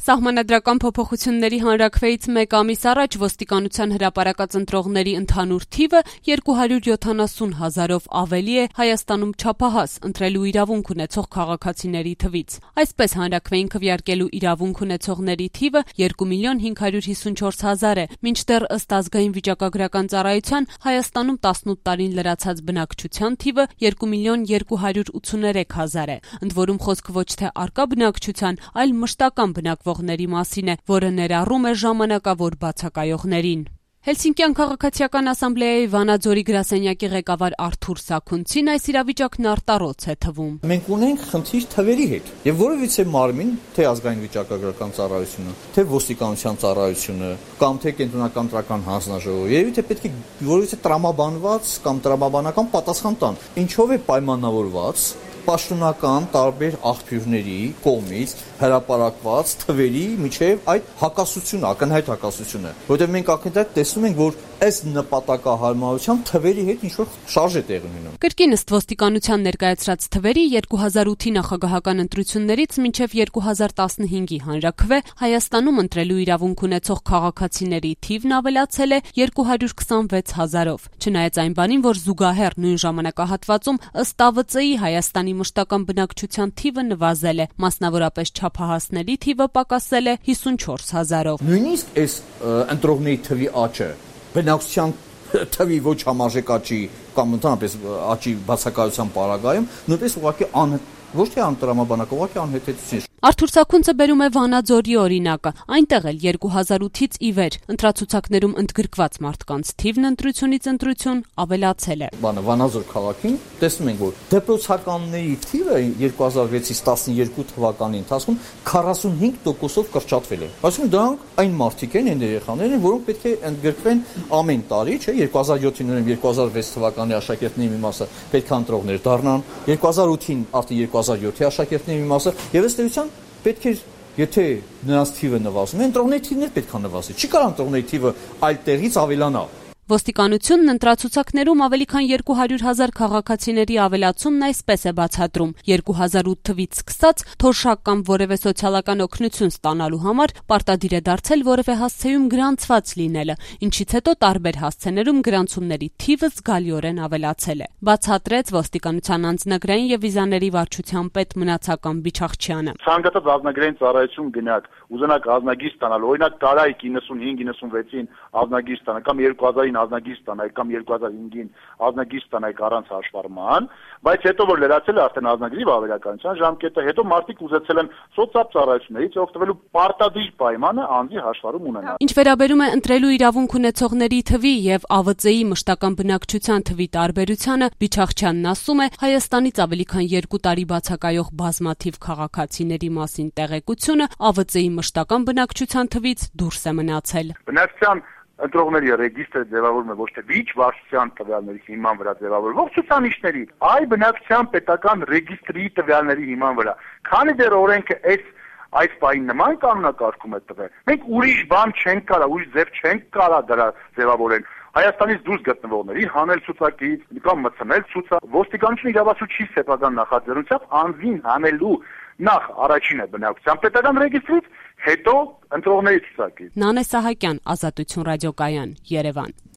Սահմանադրական փոփոխությունների հանրաքվեից մեկ ամիս առաջ ոստիկանության հրապարակած ընտրողների ընդհանուր թիվը 270 հազարով ավելի է Հայաստանում չափահաս ընտրելու իրավունք ունեցող քաղաքացիների թվից։ Այսպես հանրաքվեին քվեարկելու իրավունք ունեցողների թիվը 2.554.000 է, մինչդեռ ըստ ազգային վիճակագրական ծառայության Հայաստանում 18 տարին լրացած բնակչության թիվը 2.283.000 է, ընդ որում խոսքը ոչ թե առկա բնակչության, այլ մշտական բնակվողների մասին է, որը ներառում է ժամանակավոր բացակայողներին։ Հելսինկյան քաղաքացիական ասամբլեայի Վանաձորի գրասենյակի ղեկավար Արթուր Սաքունցին այս իրավիճակն արտառոց է թվում։ Մենք ունենք խնդիր թվերի հետ, եւ որովհետեւ մարմին, թե ազգային վիճակագրական ծառայությունը, թե ոստիկանության ծառայությունը, կամ թե կենտրոնական տրական հանձնաժողովը, երևի թե պետք է որովհետեւ տրամաբանված կամ տրամաբանական պատասխան տան։ Ինչով է պայմանավորված պաշտոնական տարբեր աղբյուրների կողմից հրապարակված թվերի միջև այդ հակասությունը, ակնհայտ հակասությունը, որովհետև մենք ակնհայտ տեսնում ենք, որ այս նպատակահարմարությամբ թվերի հետ ինչ-որ շարժ է տեղի ունենում։ Կրկին ըստ ոստիկանության ներկայացրած թվերի 2008-ի նախագահական ընտրություններից մինչև 2015-ի հանրաքվե Հայաստանում ընտրելու իրավունք ունեցող քաղաքացիների թիվն ավելացել է 226 հազարով, չնայած այն բանին, որ զուգահեռ նույն ժամանակահատվածում ըստ ԱՎԾ-ի Հայաստանի մշտական բնակչության թիվը նվազել է, մասնավորապես չափահասների թիվը պակասել է 54 հազարով։ Նույնիսկ այս ընտրողների թվի աճը բնակչության թվի ոչ համարժեք աճի կամ ընդհանրապես աճի բացակայության պարագայում նույնպես ուղղակի ոչ թե անտրամաբանական, ուղղակի անհեթեթություն։ Արթուր Սաքունցը բերում է Վանաձորի օրինակը, այնտեղ էլ 2008-ից ի վեր ընտրացուցակներում ընդգրկված մարդկանց թիվն ընտրությունից ընտրություն ավելացել է։ Վանաձոր քաղաքին տեսնում ենք, որ դեպրոցականների թիվը 2006-ից 12 թվականի ընթացքում 45%-ով կրճատվել է։ Այսինքն դրանք այն մարդիկ են, այն երեխաներն են, որոնք պետք է ընդգրկվեն ամեն տարի, չէ, 2007-ին ուրեմն 2006 թվականի աշակերտների մի մասը պետք է ընտրողներ դառնան, 2008-ին արդեն 2007-ի աշակերտների մի մասը, եւ ըստ էության պետք է, եթե նրանց թիվը նվազում է, ընտրողների թիվն պետք է նվազի։ Չի կարող ընտրողների թիվը այլ տեղից ավելանա։ Ոստիկանությունն ընտրացուցակներում ավելի քան 200 հազար քաղաքացիների ավելացումն այսպես է բացատրում. 2008 թվից սկսած թոշակ կամ որևէ սոցիալական օգնություն ստանալու համար պարտադիր է դարձել որևէ հասցեում գրանցված լինելը, ինչից հետո տարբեր հասցեներում գրանցումների թիվը զգալիորեն ավելացել է, բացատրեց ոստիկանության անձնագրային եւ վիզաների վարչության պետ Մնացական Բիչախչյանը։ Ցանկացած ազգագրային ծառայություն գնաք, ուզենաք ազնագիր ստանալ, օրինակ տարայք 95-96-ին ազնագիր ստանալ կամ 2000-ին ազնագիր ստանայք կամ 2005-ին ազնագիր ստանայք առանց հաշվառման, բայց հետո որ լրացել է արդեն ազնագրի վավերականության ժամկետը, հետո մարդիկ ուզեցել են սոցիալ ծառայություններից օգտվելու պարտադիր պայմանը անձի հաշվառում ունենալ։ Ինչ վերաբերում է ընտրելու իրավունք ունեցողների թվի եւ ԱՎԾ-ի մշտական բնակչության թվի տարբերությանը, Բիչախչյանն ասում է, Հայաստանից ավելի քան 2 տարի բացակայող բազմաթիվ քաղաքացիների մասին տեղեկությունը ԱՎԾ-ի մշտական բնակչության թվից դուրս է մնացել։ Բնակչության ընտրողների ռեգիստրը ձևավորվում է ոչ թե վիճ վարչության տվյալների հիման վրա ձևավորվող ցուցանիշների, այլ բնակչության պետական ռեգիստրի տվյալների հիման վրա։ Քանի դեռ օրենքը այս բանի նման կանոնակարգում է տվել, մենք ուրիշ բան չենք կարա, ուրիշ ձև չենք կարա դրա ձևավորել։ Հայաստանից դուրս գտնվողների հանել ցուցակից կամ մտցնել ցուցակ, ոստիկանությունը իրավասու չի սեփական նախաձեռնությամբ անձին հանելու նախ առաջինը բնակչության պետական ռեգիստրից, հետո ընտրողների ցուցակից։ Նանե Սահակյան, Ազատություն ռադիոկայան, Երևան։